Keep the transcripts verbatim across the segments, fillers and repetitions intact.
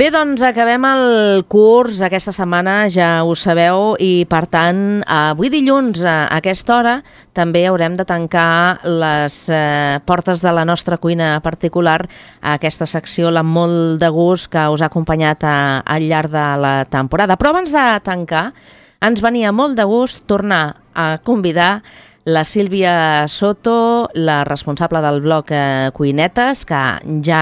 Bé, doncs acabem el curs aquesta setmana, ja ho sabeu, i per tant, avui dilluns a aquesta hora també haurem de tancar les eh, portes de la nostra cuina particular a aquesta secció, la molt de gust que us ha acompanyat a, al llarg de la temporada. Però abans de tancar, ens venia molt de gust tornar a convidar la Sílvia Soto, la responsable del blog eh, Cuinetes, que ja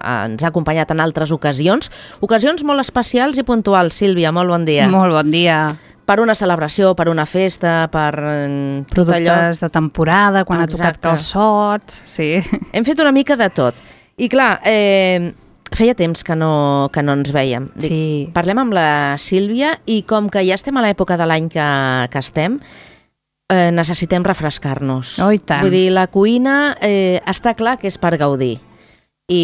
ens ha acompanyat en altres ocasions. Ocasions molt especials i puntuals. Sílvia, molt bon dia. Molt bon dia. Per una celebració, per una festa, per eh, productes allò... de temporada, quan Exacte. ha tocat calçots... Sí. Hem fet una mica de tot. I clar, eh, feia temps que no, que no ens vèiem. Dic, sí. Parlem amb la Sílvia i com que ja estem a l'època de l'any que, que estem... Eh, necessitem refrescar-nos. Oh, i tant. Vull dir, la cuina eh, està clar que és per gaudir. I,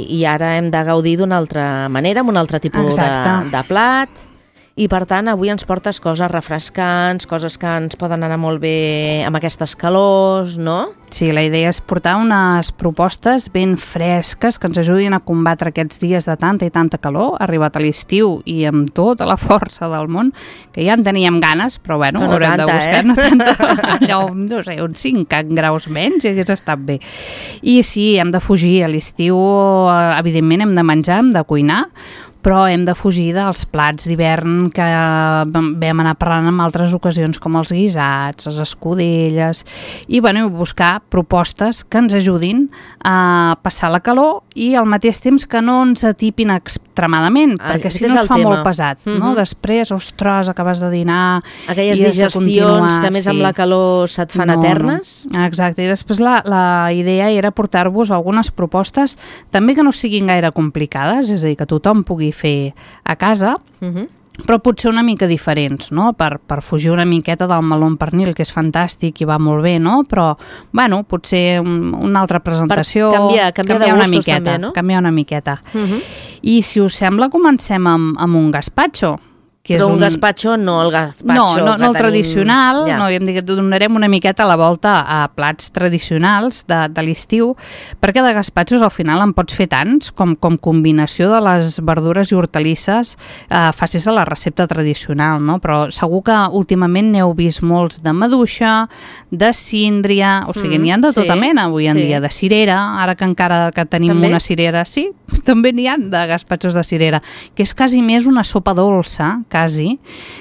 i ara hem de gaudir d'una altra manera, amb un altre tipus de, de plat. I per tant, avui ens portes coses refrescants, coses que ens poden anar molt bé amb aquestes calors, no? Sí, la idea és portar unes propostes ben fresques que ens ajudin a combatre aquests dies de tanta i tanta calor, arribat a l'estiu i amb tota la força del món, que ja en teníem ganes, però bueno, no haurem tanta, de buscar, eh? no tanta, allò, no sé, uns cinc graus menys i hagués estat bé. I sí, hem de fugir a l'estiu, evidentment hem de menjar, hem de cuinar, però hem de fugir dels plats d'hivern que vam anar parlant en altres ocasions, com els guisats, les escudelles, i bueno, buscar propostes que ens ajudin a passar la calor i al mateix temps que no ens atipin extremadament, ah, perquè si no es fa tema. molt pesat. Mm-hmm. No? Després, ostres, acabes de dinar... Aquelles digestions que més sí. amb la calor se't fan no, eternes. No. Exacte, i després la, la idea era portar-vos algunes propostes també que no siguin gaire complicades, és a dir, que tothom pugui fer a casa, uh-huh. però potser una mica diferents, no? Per, per fugir una miqueta del meló amb pernil, que és fantàstic i va molt bé, no? Però, bueno, potser un, una altra presentació... Per canviar, canviar, canviar de gustos una miqueta, també, no? Canviar una miqueta. Uh-huh. I si us sembla, comencem amb, amb un gazpacho. Que però és un, un gazpacho, no el gazpacho... No, no, no el tenim... tradicional, ja. no, hem dit que donarem una miqueta la volta a plats tradicionals de, de l'estiu, perquè de gazpachos al final en pots fer tants com, com combinació de les verdures i hortalisses eh, facis a la recepta tradicional, no? Però segur que últimament n'heu vist molts de maduixa, de síndria, o sigui, mm, n'hi ha de tota sí, mena avui en sí. dia, de cirera, ara que encara que tenim també? una cirera, sí, també n'hi ha de gazpachos de cirera, que és quasi més una sopa dolça, quasi,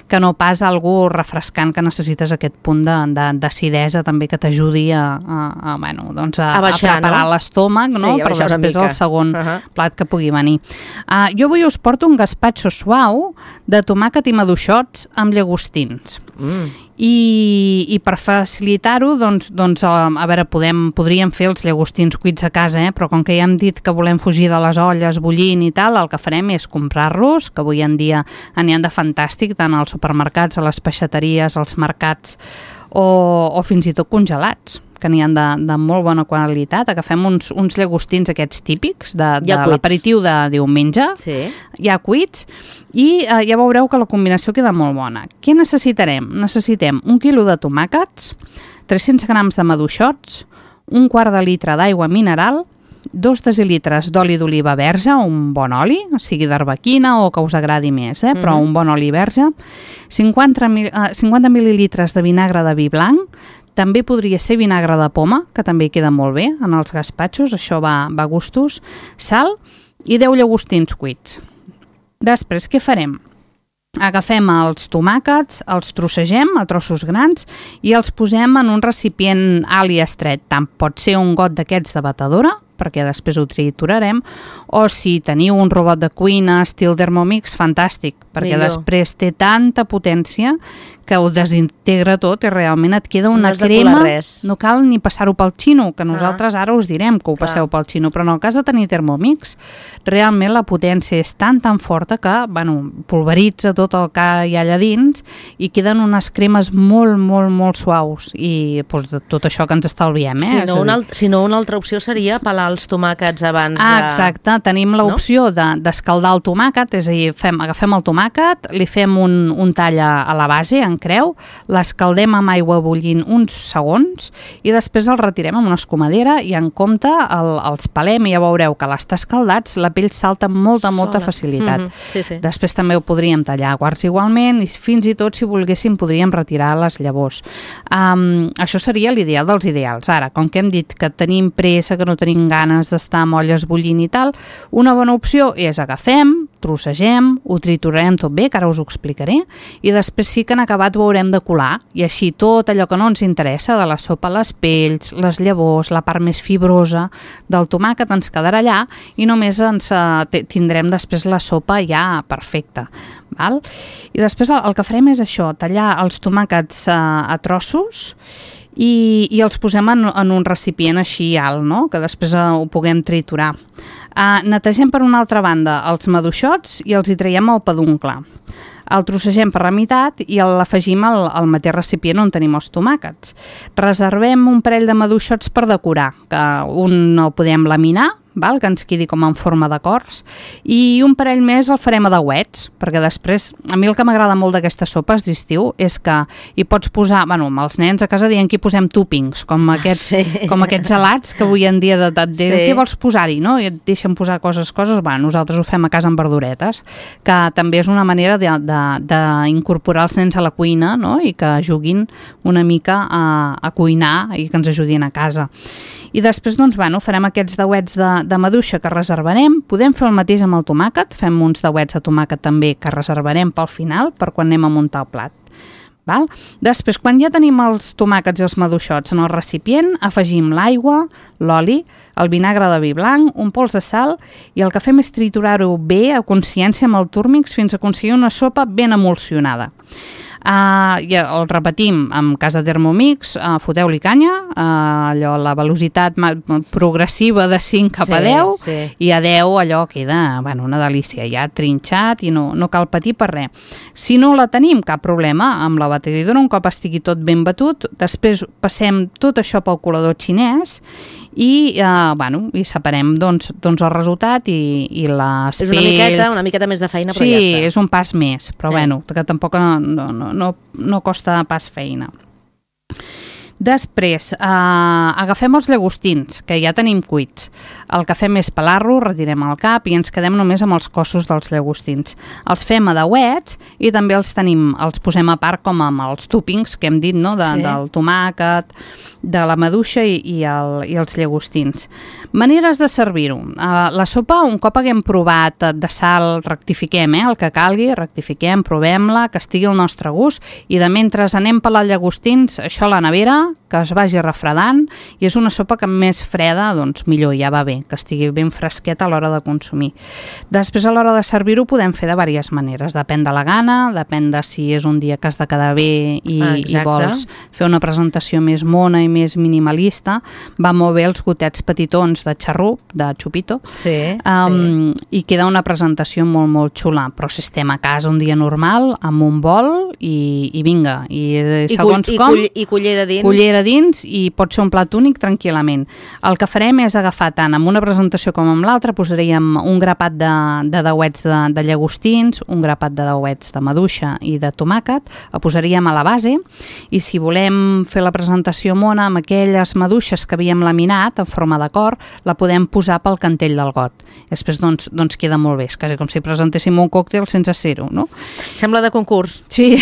que no pas algú refrescant que necessites aquest punt d'acidesa també que t'ajudi a, a, a, bueno, doncs a, a, baixar, a preparar no? l'estómac, no? Sí, però després el segon uh-huh. plat que pugui venir. Uh, jo avui us porto un gazpacho suau de tomàquet i maduixots amb llagostins. Mm. I, i per facilitar-ho, doncs, doncs a, a veure, podem, podríem fer els llagostins cuits a casa, eh? Però com que ja hem dit que volem fugir de les olles bullint i tal, el que farem és comprar-los, que avui en dia n'hi ha de fantàstic, tant als supermercats, a les peixateries, als mercats, o, o fins i tot congelats, que n'hi ha de, de molt bona qualitat. Agafem uns, uns llagostins aquests típics de, de ja l'aperitiu de diumenge, sí. ja cuits, i eh, ja veureu que la combinació queda molt bona. Què necessitarem? Necessitem un quilo de tomàquets, tres-cents grams de maduixots, un quart de litre d'aigua mineral, dos decilitres d'oli d'oliva verge, un bon oli, sigui d'arbequina o que us agradi més, eh? Però mm-hmm. un bon oli verge, cinquanta, mil, eh, cinquanta mil·lilitres de vinagre de vi blanc, també podria ser vinagre de poma, que també queda molt bé en els gazpachos, això va, va a gustos, sal i deu llagostins cuits. Després, què farem? Agafem els tomàquets, els trossegem a trossos grans i els posem en un recipient alt i estret. Tant pot ser un got d'aquests de batedora, perquè després ho triturarem, o si teniu un robot de cuina estil Thermomix, fantàstic, perquè millor. Després té tanta potència que ho desintegra tot i realment et queda una no crema, no cal ni passar-ho pel xino, que nosaltres ah. ara us direm que ho Clar. passeu pel xino, però en el cas de tenir Thermomix, realment la potència és tan tan forta que, bueno, pulveritza tot el que hi ha allà dins i queden unes cremes molt, molt, molt suaus i doncs, tot això que ens estalviem, eh? Si no, una, si no una altra opció seria pelar els tomàquets abans de... Ah, exacte. Tenim l'opció no? de, d'escaldar el tomàquet, és a dir, fem, agafem el tomàquet, li fem un, un tall a, a la base, en creu, l'escaldem amb aigua bullint uns segons i després el retirem amb una escumadera i en compte el, els pelem i ja veureu que a l'estar escaldats la pell salta amb molta, Sola. molta facilitat. Mm-hmm. sí, sí. Després també ho podríem tallar a quarts igualment i fins i tot, si volguéssim, podríem retirar les llavors. Um, això seria l'ideal dels ideals. Ara, com que hem dit que tenim pressa, que no tenim ganes d'estar amb olles bullint i tal, una bona opció és agafem, trossegem, ho triturarem tot bé, que ara us ho explicaré, i després sí que en acabat ho haurem de colar, i així tot allò que no ens interessa de la sopa, les pells, les llavors, la part més fibrosa del tomàquet ens quedarà allà i només ens uh, tindrem després la sopa ja perfecta. Val? I després el, el que farem és això, tallar els tomàquets uh, a trossos i, i els posem en, en un recipient així alt, no? Que després uh, ho puguem triturar. Uh, netegem per una altra banda els maduixots i els hi traiem el peduncle. El trossegem per la meitat i l'afegim al, al mateix recipient on tenim els tomàquets. Reservem un parell de maduixots per decorar, que un el podem laminar, val? Que ens quedi com en forma de cors, i un parell més el farem a dauets, perquè després, a mi el que m'agrada molt d'aquestes sopes d'estiu és que hi pots posar, bueno, amb els nens a casa dient que hi posem toppings, com aquests, sí. com aquests gelats que avui en dia de, de, de, sí. què vols posar-hi, no? I et deixen posar coses, coses, bueno, nosaltres ho fem a casa amb verduretes, que també és una manera d'incorporar els nens a la cuina, no? I que juguin una mica a, a cuinar i que ens ajudin a casa. I després, doncs, bueno, farem aquests dauets de, de maduixa que reservarem. Podem fer el mateix amb el tomàquet, fem uns dauets de tomàquet també que reservarem pel final, per quan anem a muntar el plat. Val? Després, quan ja tenim els tomàquets i els maduixots en el recipient, afegim l'aigua, l'oli, el vinagre de vi blanc, un pols de sal i el que fem és triturar-ho bé a consciència amb el túrmix fins a aconseguir una sopa ben emulsionada. Uh, i el repetim amb casa Thermomix, uh, foteu-li canya, uh, allò, la velocitat progressiva de cinc cap a deu, sí, sí. I a deu allò queda, bueno, una delícia, ja trinxat i no, no cal patir per res. Si no la tenim, cap problema, amb la batedidora, un cop estigui tot ben batut, després passem tot això pel colador xinès i, uh, bueno, i separem doncs, doncs el resultat i, i les és una pells. miqueta, una miqueta més de feina, però sí, ja està. Sí, és un pas més, però eh. bueno, que tampoc no, no, no, no costa pas feina. Després, eh, agafem els llagostins, que ja tenim cuits. El que fem és pelar-lo, retirem el cap i ens quedem només amb els cossos dels llagostins. Els fem a dauets i també els tenim, els posem a part com amb els toppings que hem dit, no? De, sí. Del tomàquet, de la maduixa i, i, el, i els llagostins. Maneres de servir-ho. Eh, la sopa, un cop haguem provat de sal, rectifiquem, eh? El que calgui, rectifiquem, provem-la, que estigui al nostre gust i de mentre anem pelant llagostins, això a la nevera, que es vagi refredant i és una sopa que més freda, doncs millor, ja va bé, que estigui ben fresqueta a l'hora de consumir. Després a l'hora de servir-ho podem fer de diverses maneres, depèn de la gana, depèn de si és un dia que has de quedar bé i, ah, i vols fer una presentació més mona i més minimalista, va molt bé els gotets petitons de xarrup, de xupito, sí, um, sí. i queda una presentació molt, molt xula, però si estem a casa un dia normal, amb un bol i, i vinga, i, I segons cull, com... I, cull, i cullera dins. Cullera dins i pot ser un plat únic tranquil·lament. El que farem és agafar tant amb una presentació com amb l'altra, posaríem un grapat de, de dauets de, de llagostins, un grapat de dauets de maduixa i de tomàquet, el posaríem a la base i si volem fer la presentació mona amb aquelles maduixes que havíem laminat en forma de cor, la podem posar pel cantell del got. I després doncs, doncs queda molt bé, és quasi com si presentéssim un còctel sense ser-ho, no? Sembla de concurs. Sí.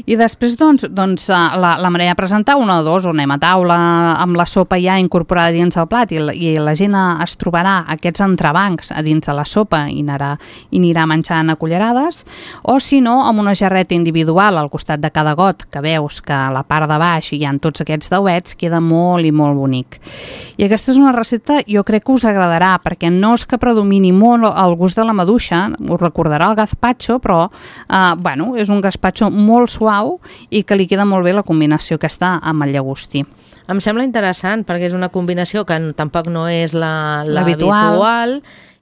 I després, doncs, doncs la, la manera de presentar, una o dos, o anem a taula amb la sopa ja incorporada dins el plat i la, i la gent es trobarà aquests entrebancs a dins de la sopa i anirà, i anirà menjant a cullerades, o si no, amb una jarreta individual al costat de cada got, que veus que a la part de baix hi ha tots aquests dauets, queda molt i molt bonic. I aquesta és una recepta, jo crec que us agradarà, perquè no és que predomini molt el gust de la maduixa, us recordarà el gazpacho, però, eh, bueno, és un gazpacho molt molt suau i que li queda molt bé la combinació aquesta amb el llagostí. Em sembla interessant perquè és una combinació que tampoc no és la, la habitual. habitual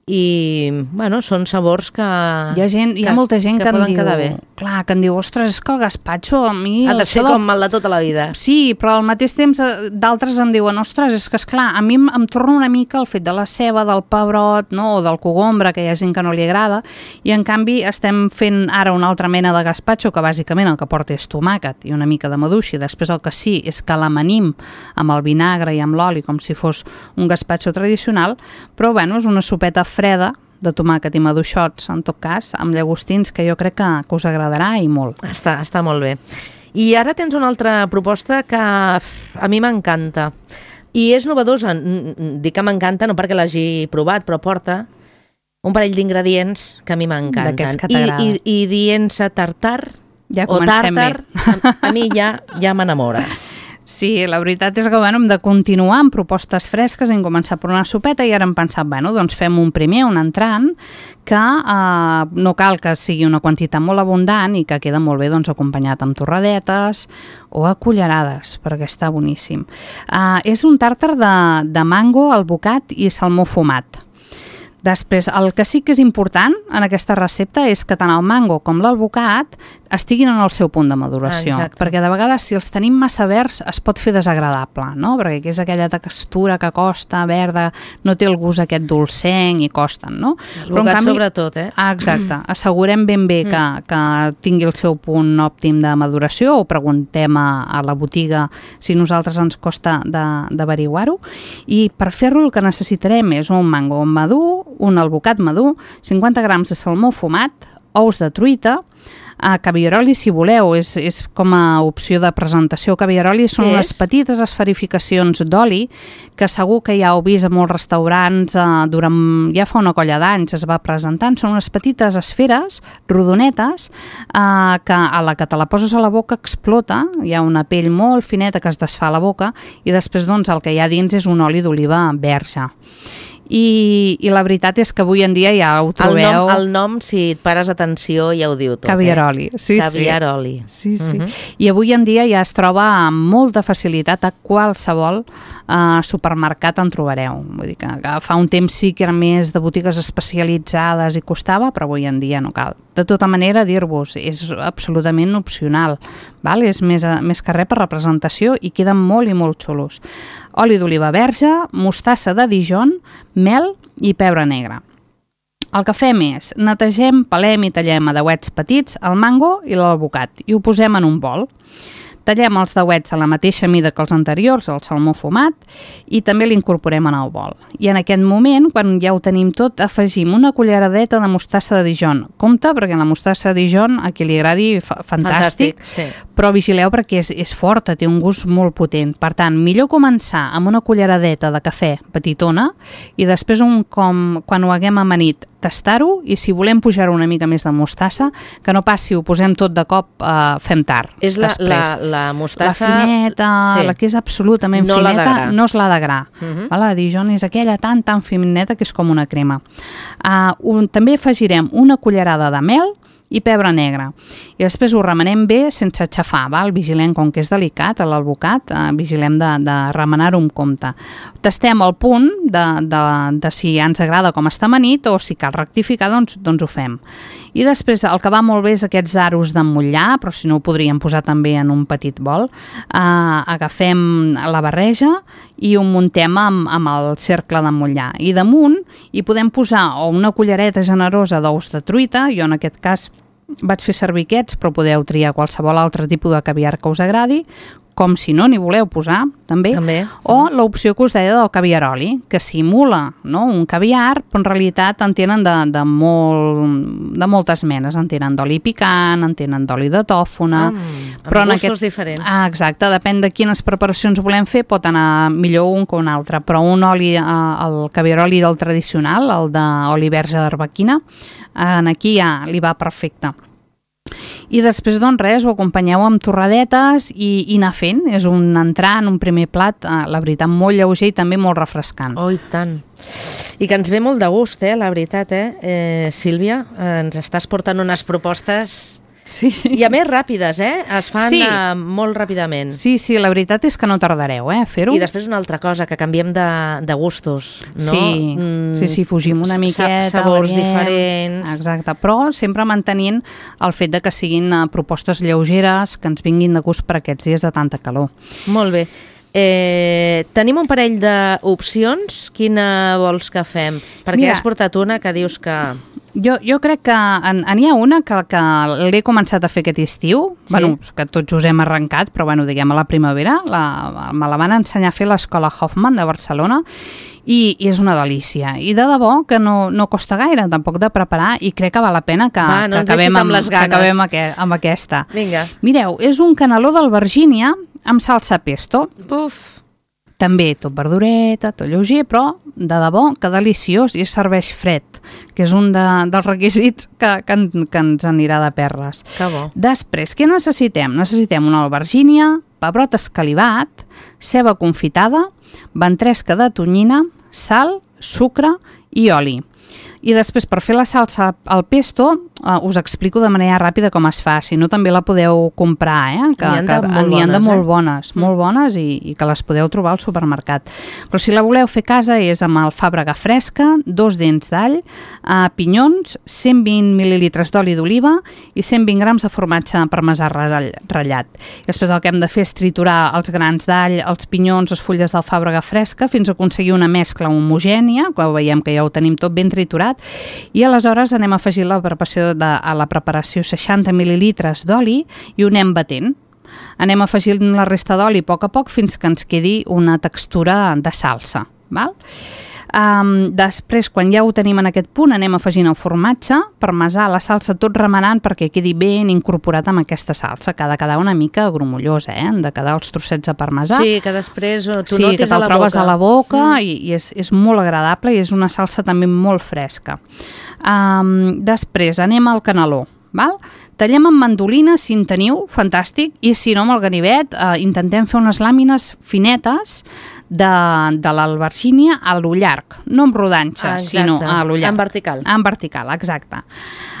i, bueno, són sabors que... Hi ha, gent, hi ha que, molta gent que, que em poden diu... quedar bé. Clar, que em diu, ostres, és que el gazpacho a mi... Ha de ser del... com el de tota la vida. Sí, però al mateix temps d'altres em diuen, ostres, és que esclar, a mi em, em torna una mica el fet de la ceba, del pebrot, no? O del cogombre, que hi ha gent que no li agrada, i en canvi estem fent ara una altra mena de gazpacho, que bàsicament el que porta és tomàquet i una mica de maduixa, i després el que sí és que l'amanim amb el vinagre i amb l'oli, com si fos un gazpacho tradicional, però bueno, és una sopeta freda de tomàquet i maduixots, en tot cas, amb llagostins, que jo crec que, que us agradarà i molt. Està, està molt bé. I ara tens una altra proposta que a mi m'encanta. I és novedosa. Dic que m'encanta no perquè l'hagi provat, però porta un parell d'ingredients que a mi m'encanten. D'aquests que t'agrada. I, i, i dient-se tartar ja o tàrtar, a, a mi ja, ja m'enamora. Sí, la veritat és que bueno, hem de continuar amb propostes fresques, hem començat per una sopeta i ara hem pensat, bueno, doncs fem un primer, un entrant, que eh, no cal que sigui una quantitat molt abundant i que queda molt bé doncs, acompanyat amb torradetes o a cullerades, perquè està boníssim. Eh, és un tàrtar de, de mango, albocat i salmó fumat. Després, el que sí que és important en aquesta recepta és que tant el mango com l'albocat estiguin en el seu punt de maduració, ah, perquè de vegades si els tenim massa verds es pot fer desagradable, no? Perquè és aquella textura que costa, verda, no té el gust aquest dolcenc i costen, no? L'albocat sobretot, eh? Ah, exacte, assegurem ben bé que, que tingui el seu punt òptim de maduració, o preguntem a, a la botiga si nosaltres ens costa d'averiguar-ho, i per fer-lo el que necessitarem és un mango madur, un albocat madur, cinquanta grams de salmó fumat, ous de truita, a caviaroli, si voleu, és, és com a opció de presentació. Caviaroli són unes petites esferificacions d'oli que segur que ja heu vist a molts restaurants, eh, durant, ja fa una colla d'anys es va presentant. Són unes petites esferes rodonetes eh, que a la que te la poses a la boca explota, hi ha una pell molt fineta que es desfà a la boca i després doncs, el que hi ha dins és un oli d'oliva verge. I, i la veritat és que avui en dia ja ho trobeu... El nom, el nom si et pares atenció, ja ho diu tot. Caviaroli, eh? sí, Caviaroli. Sí, sí. Uh-huh. I avui en dia ja es troba amb molta facilitat a qualsevol uh, supermercat en trobareu. Vull dir que, que fa un temps sí que eren més de botigues especialitzades i costava, però avui en dia no cal. De tota manera, dir-vos, és absolutament opcional, val? És més, més que res per representació i queden molt i molt xulos. Oli d'oliva verge, mostassa de Dijon, mel i pebre negre. El que fem és, netegem, pelem i tallem a dauets petits el mango i l'albocat i ho posem en un bol. Tallem els dauets a la mateixa mida que els anteriors, el salmó fumat, i també l'incorporem en el bol. I en aquest moment, quan ja ho tenim tot, afegim una culleradeta de mostassa de Dijon. Compte, perquè la mostassa de Dijon, a qui li agradi, fa fantàstic, fantàstic sí. Però vigileu perquè és, és forta, té un gust molt potent. Per tant, millor començar amb una culleradeta de cafè petitona i després, un, com, quan ho haguem amanit, tastar-ho, i si volem pujar una mica més de mostassa, que no passi, ho posem tot de cop, eh, fem tard. És la, la, la mostassa... La fineta, sí. La que és absolutament no fineta, no és la de gra. Uh -huh. La de Dijon és aquella tan, tan fineta que és com una crema. Uh, un, també afegirem una cullerada de mel i pebre negre. I després ho remenem bé sense aixafar, val? Vigilem, com que és delicat, l'albocat, eh, vigilem de, de remenar-ho amb compte. Tastem el punt de, de, de si ens agrada com està amanit o si cal rectificar, doncs, doncs ho fem. I després el que va molt bé és aquests aros d'emmotlllar, però si no ho podríem posar també en un petit bol. Eh, agafem la barreja i ho muntem amb, amb el cercle d'emmotlllar. I damunt hi podem posar o una cullereta generosa d'ous de truita, jo en aquest cas vaig fer servir aquests, però podeu triar qualsevol altre tipus de caviar que us agradi, com si no n'hi voleu posar, també, també. O l'opció que us deia del caviaroli, que simula, no?, un caviar, però en realitat en tenen de, de, molt, de moltes menes, en tenen d'oli picant, en tenen d'oli de tòfona... Mm, però amb en gustos aquest... diferents. Ah, exacte, depèn de quines preparacions volem fer, pot anar millor un que un altre, però un oli, eh, el caviaroli del tradicional, el d'oli verge d'arbequina, en aquí ja li va perfecte. I després, doncs res, ho acompanyeu amb torradetes i, i anar fent. És un entrant, un primer plat, eh, la veritat, molt lleuger i també molt refrescant. Oh, i tant. I que ens ve molt de gust, eh, la veritat, eh? eh Sílvia, eh, ens estàs portant unes propostes Sí. I a més ràpides, eh? Es fan sí. uh, molt ràpidament. Sí, sí, la veritat és que no tardareu, eh, a fer-ho. I després una altra cosa, que canviem de, de gustos, no? Sí, mm, sí, sí, fugim una miqueta. Sabors variem, diferents. Exacte, però sempre mantenint el fet de que siguin uh, propostes lleugeres, que ens vinguin de gust per aquests dies de tanta calor. Molt bé. Eh, tenim un parell d'opcions. Quina vols que fem? Perquè Mira, has portat una que dius que... Jo, jo crec que n'hi ha una que, que l'he començat a fer aquest estiu, sí. bueno, que tots us hem arrencat, però bueno, diguem a la primavera, la, me la van ensenyar a fer l'Escola Hoffman de Barcelona i, i és una delícia. I de debò que no, no costa gaire tampoc de preparar i crec que val la pena que, Va, no que acabem, amb, amb, que acabem aqu amb aquesta. Vinga. Mireu, és un caneló d'albergínia amb salsa pesto. Uf! També tot verdureta, tot lleuger, però de debò que deliciós i es serveix fred, que és un de, dels requisits que, que, que ens anirà de perles. Que bo. Després, què necessitem? Necessitem una albergínia, pebrot escalivat, ceba confitada, ventresca de tonyina, sal, sucre i oli. I després, per fer la salsa al pesto, uh, us explico de manera ràpida com es fa, si no també la podeu comprar, eh? que n'hi ha de, molt, bones, de molt eh? bones, mm. molt bones i, i que les podeu trobar al supermercat. Però si la voleu fer a casa és amb alfàbrega fresca, dos dents d'all, uh, pinyons, cent vint mil·lilitres d'oli d'oliva i cent vint grams de formatge parmesà ratllat. I després el que hem de fer és triturar els grans d'all, els pinyons, les fulles d'alfàbrega fresca fins a aconseguir una mescla homogènia, que veiem que ja ho tenim tot ben triturat, i aleshores anem a afegir la preparació de, a la preparació seixanta mil·lilitres d'oli i ho anem batent. Anem afegint la resta d'oli a poc a poc fins que ens quedi una textura de salsa. Val? Um, després, quan ja ho tenim en aquest punt, anem afegint el formatge, parmesà, la salsa, tot remenant perquè quedi ben incorporat amb aquesta salsa, que ha de quedar una mica grumollosa, eh? Han de quedar els trossets de parmesà. Sí, que després tu sí, notis que a la boca. trobes a la boca mm. i, i és, és molt agradable i és una salsa també molt fresca. Um, després anem al caneló. Val? Tallem amb mandolina, si en teniu, fantàstic, i si no, amb el ganivet eh, intentem fer unes làmines finetes de, de l'albergínia a lo llarg, no amb rodanxa, ah, sinó a lo llarg. En vertical. En vertical, exacte.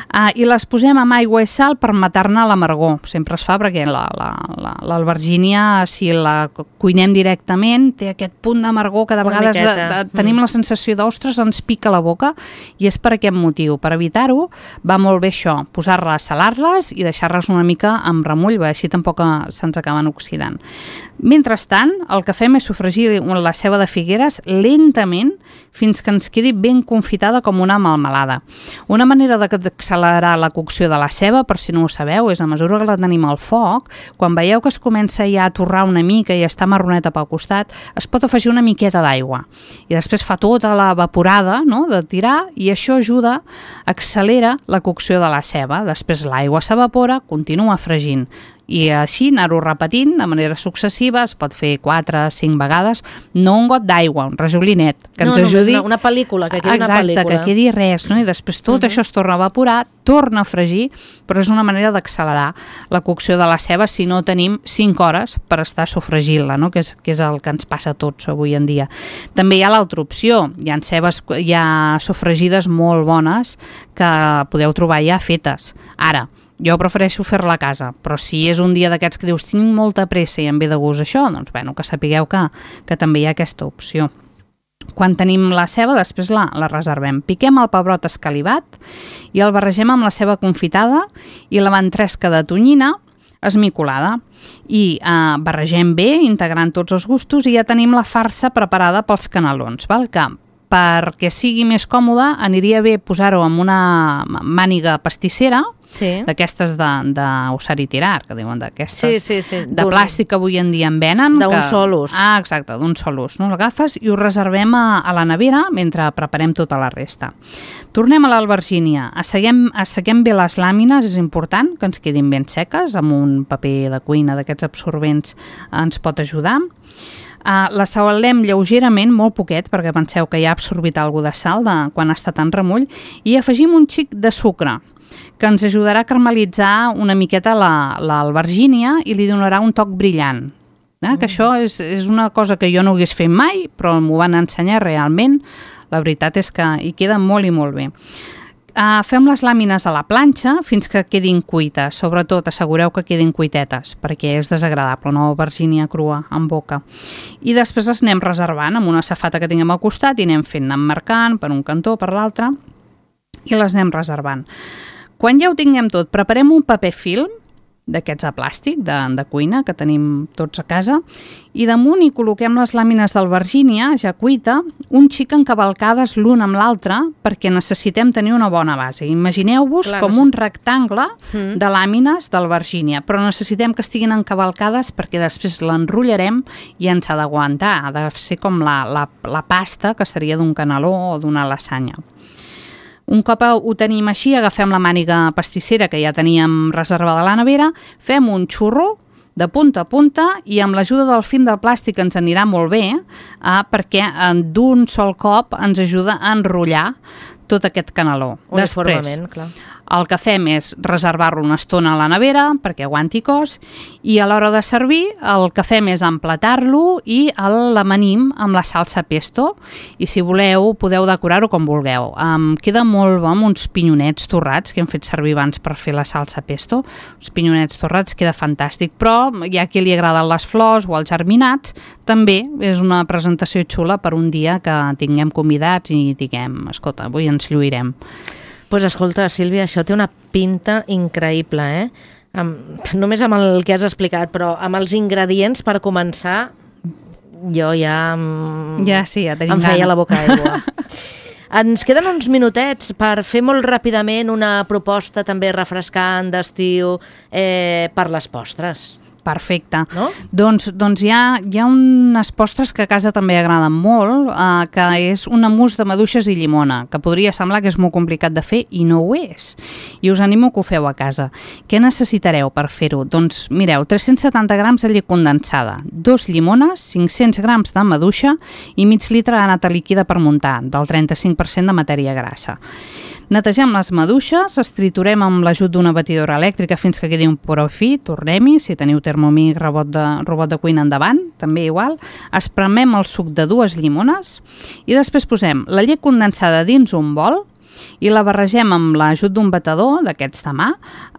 Uh, I les posem amb aigua i sal per matar-ne l'amargor. Sempre es fa perquè l'albergínia, la, la, si la cuinem directament, té aquest punt d'amargor que de vegades de, de, tenim mm. la sensació d'ostres, ens pica la boca, i és per aquest motiu. Per evitar-ho, va molt bé això, posar-les, salar-les i deixar-les una mica amb remull, perquè així tampoc se'ns acaben oxidant. Mentrestant, el que fem és sofregir la ceba de Figueres lentament fins que ens quedi ben confitada com una melmelada. Una manera d'accelerar la cocció de la ceba, per si no ho sabeu, és a mesura que la tenim al foc, quan veieu que es comença ja a torrar una mica i està marroneta pel costat, es pot afegir una miqueta d'aigua. I després fa tota la evaporada, no?, de tirar, i això ajuda, accelera la cocció de la ceba. Després l'aigua s'evapora, continua fregint. I així anar-ho repetint de manera successiva, es pot fer quatre o cinc vegades, no un got d'aigua, un rajolinet, que no, ens ajudi... No, una, una pel·lícula, que quedi Exacte, una pel·lícula. que quedi res, no? I després tot uh -huh. això es torna a evaporar, torna a fregir, però és una manera d'accelerar la cocció de la ceba si no tenim cinc hores per estar sofregint-la, no? que, és, que és el que ens passa a tots avui en dia. També hi ha l'altra opció, hi ha cebes, hi ha sofregides molt bones que podeu trobar ja fetes. Ara, jo prefereixo fer-la a casa, però si és un dia d'aquests que dius tinc molta pressa i em ve de gust això, doncs bueno, que sapigueu que, que també hi ha aquesta opció. Quan tenim la ceba, després la, la reservem. Piquem el pebrot escalivat i el barregem amb la ceba confitada i la ventresca de tonyina esmicolada. I eh, barregem bé, integrant tots els gustos, i ja tenim la farsa preparada pels canelons, val? Que perquè sigui més còmode aniria bé posar-ho en una màniga pastissera, sí. d'aquestes d'usar i tirar, que diuen d'aquestes sí, sí, sí. de plàstic que avui en dia en venen. D'un que... sol ús. Ah, exacte, d'un sol ús. No? L'agafes i ho reservem a, a la nevera mentre preparem tota la resta. Tornem a l'albergínia. Asseguem, asseguem bé les làmines, és important que ens quedin ben seques, amb un paper de cuina d'aquests absorbents ens pot ajudar. Uh, la salem lleugerament, molt poquet, perquè penseu que ja ha absorbit alguna de sal de, quan està tan remull, i afegim un xic de sucre, que ens ajudarà a caramelitzar una miqueta l'albergínia la, i li donarà un toc brillant. Eh? Mm. Que això és, és una cosa que jo no hagués fet mai, però m'ho van ensenyar realment. La veritat és que hi queda molt i molt bé. uh, fem les làmines a la planxa fins que quedin cuites. Sobretot assegureu que quedin cuitetes, perquè és desagradable, una albergínia crua en boca. I després les anem reservant amb una safata que tinguem al costat i anem fent, anem marcant per un cantó, per l'altre, i les anem reservant. Quan ja ho tinguem tot, preparem un paper film d'aquests de plàstic, de, de cuina, que tenim tots a casa, i damunt hi col·loquem les làmines d'albergínia, ja cuita, un xic encavalcades l'un amb l'altre, perquè necessitem tenir una bona base. Imagineu-vos Clar, com un rectangle mm. de làmines d'albergínia, però necessitem que estiguin encavalcades perquè després l'enrotllarem i ens ha d'aguantar, ha de ser com la, la, la pasta, que seria d'un caneló o d'una lasanya. Un cop ho tenim així, agafem la màniga pastissera que ja teníem reservada a la nevera, fem un xurro de punta a punta i amb l'ajuda del film del plàstic ens anirà molt bé eh, perquè d'un sol cop ens ajuda a enrotllar tot aquest caneló. Uniformement, clar. El que fem és reservar-lo una estona a la nevera perquè aguanti cos i a l'hora de servir el que fem és emplatar-lo i l'amanim amb la salsa pesto i si voleu podeu decorar-ho com vulgueu. Um, queda molt bo amb uns pinyonets torrats que hem fet servir abans per fer la salsa pesto. Els pinyonets torrats queda fantàstic, però hi ha qui li agraden les flors o els germinats, també és una presentació xula per un dia que tinguem convidats i diguem, escolta, avui ens lluirem. Pues escolta, Sílvia, això té una pinta increïble, eh? Amb, només amb el que has explicat, però amb els ingredients per començar, jo ja... Ja, sí, ja tenim em feia gana. la boca aigua. Ens queden uns minutets per fer molt ràpidament una proposta també refrescant d'estiu eh, per les postres. Perfecte. No? Doncs, doncs hi, ha, hi ha unes postres que a casa també agraden molt, eh, que és una mousse de maduixes i llimona, que podria semblar que és molt complicat de fer i no ho és. I us animo que ho feu a casa. Què necessitareu per fer-ho? Doncs mireu, tres-cents setanta grams de llet condensada, dos llimones, cinc-cents grams de maduixa i mig litre de nata líquida per muntar, del trenta-cinc per cent de matèria grassa. Netegem les maduixes, les triturem amb l'ajut d'una batidora elèctrica fins que quedi un poró fi, tornem-hi, si teniu Thermomix, robot de, robot de cuina endavant, també igual, espremem el suc de dues llimones i després posem la llet condensada dins un bol i la barregem amb l'ajut d'un batedor, d'aquests de mà,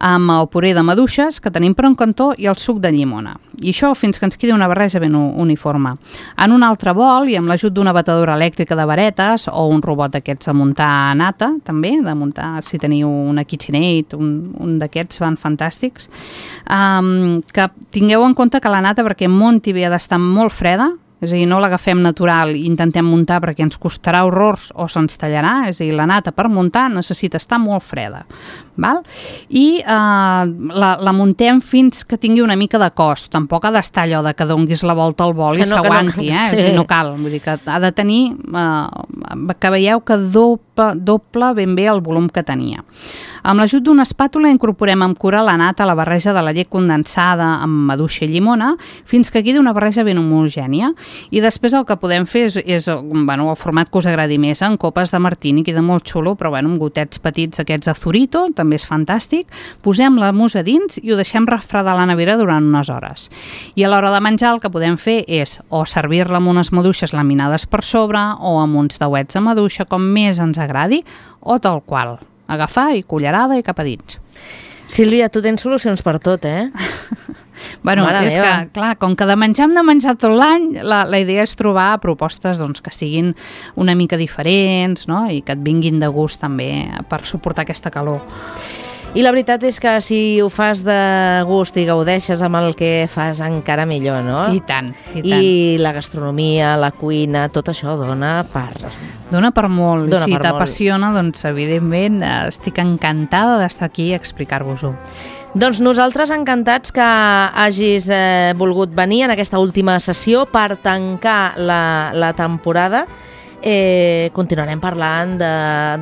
amb el puré de maduixes que tenim per un cantó i el suc de llimona. I això fins que ens quedi una barreja ben uniforme. En un altre bol i amb l'ajut d'una batedora elèctrica de varetes o un robot d'aquests de muntar nata, també, de muntar, si teniu una KitchenAid, un, un d'aquests van fantàstics, um, que tingueu en compte que la nata, perquè munti bé ha d'estar molt freda, és a dir, no l'agafem natural i intentem muntar perquè ens costarà horrors o se'ns tallarà, és a dir, la nata per muntar necessita estar molt freda, val? I eh, la, la muntem fins que tingui una mica de cos, tampoc ha d'estar allò de que donguis la volta al bol i no, s'aguanti, no, eh? Sí. És a dir, no cal, vull dir que ha de tenir, eh, que veieu que doble, doble ben bé el volum que tenia. Amb l'ajut d'una espàtula incorporem amb cura la nata a la barreja de la llet condensada amb maduixa i llimona fins que quedi una barreja ben homogènia i després el que podem fer és, és bueno, el format que us agradi més, en copes de martini, queda molt xulo, però bueno, amb gotets petits aquests de Zurito, també és fantàstic. Posem la mousse a dins i ho deixem refredar a la nevera durant unes hores. I a l'hora de menjar el que podem fer és o servir-la amb unes maduixes laminades per sobre o amb uns dauets de maduixa, com més ens agradi, o tal qual. Agafar i cullerada i cap a dins. Sílvia, tu tens solucions per tot, eh? Bueno, Mare és meva. que, clar, com que de menjar hem de menjar tot l'any, la, la idea és trobar propostes doncs, que siguin una mica diferents, no? I que et vinguin de gust també per suportar aquesta calor. I la veritat és que si ho fas de gust i gaudeixes amb el que fas, encara millor, no? I tant, i tant. I la gastronomia, la cuina, tot això dona per... Dona per molt. Dona si per t'apassiona, doncs evidentment estic encantada d'estar aquí a explicar-vos-ho. Doncs nosaltres encantats que hagis eh, volgut venir en aquesta última sessió per tancar la, la temporada. Eh, continuarem parlant de,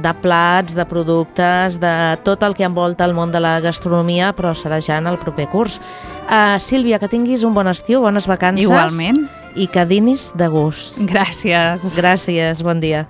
de plats, de productes, de tot el que envolta el món de la gastronomia, però serà ja en el proper curs. Uh, Sílvia, que tinguis un bon estiu, bones vacances. Igualment. I que dinis de gust. Gràcies. Gràcies, bon dia.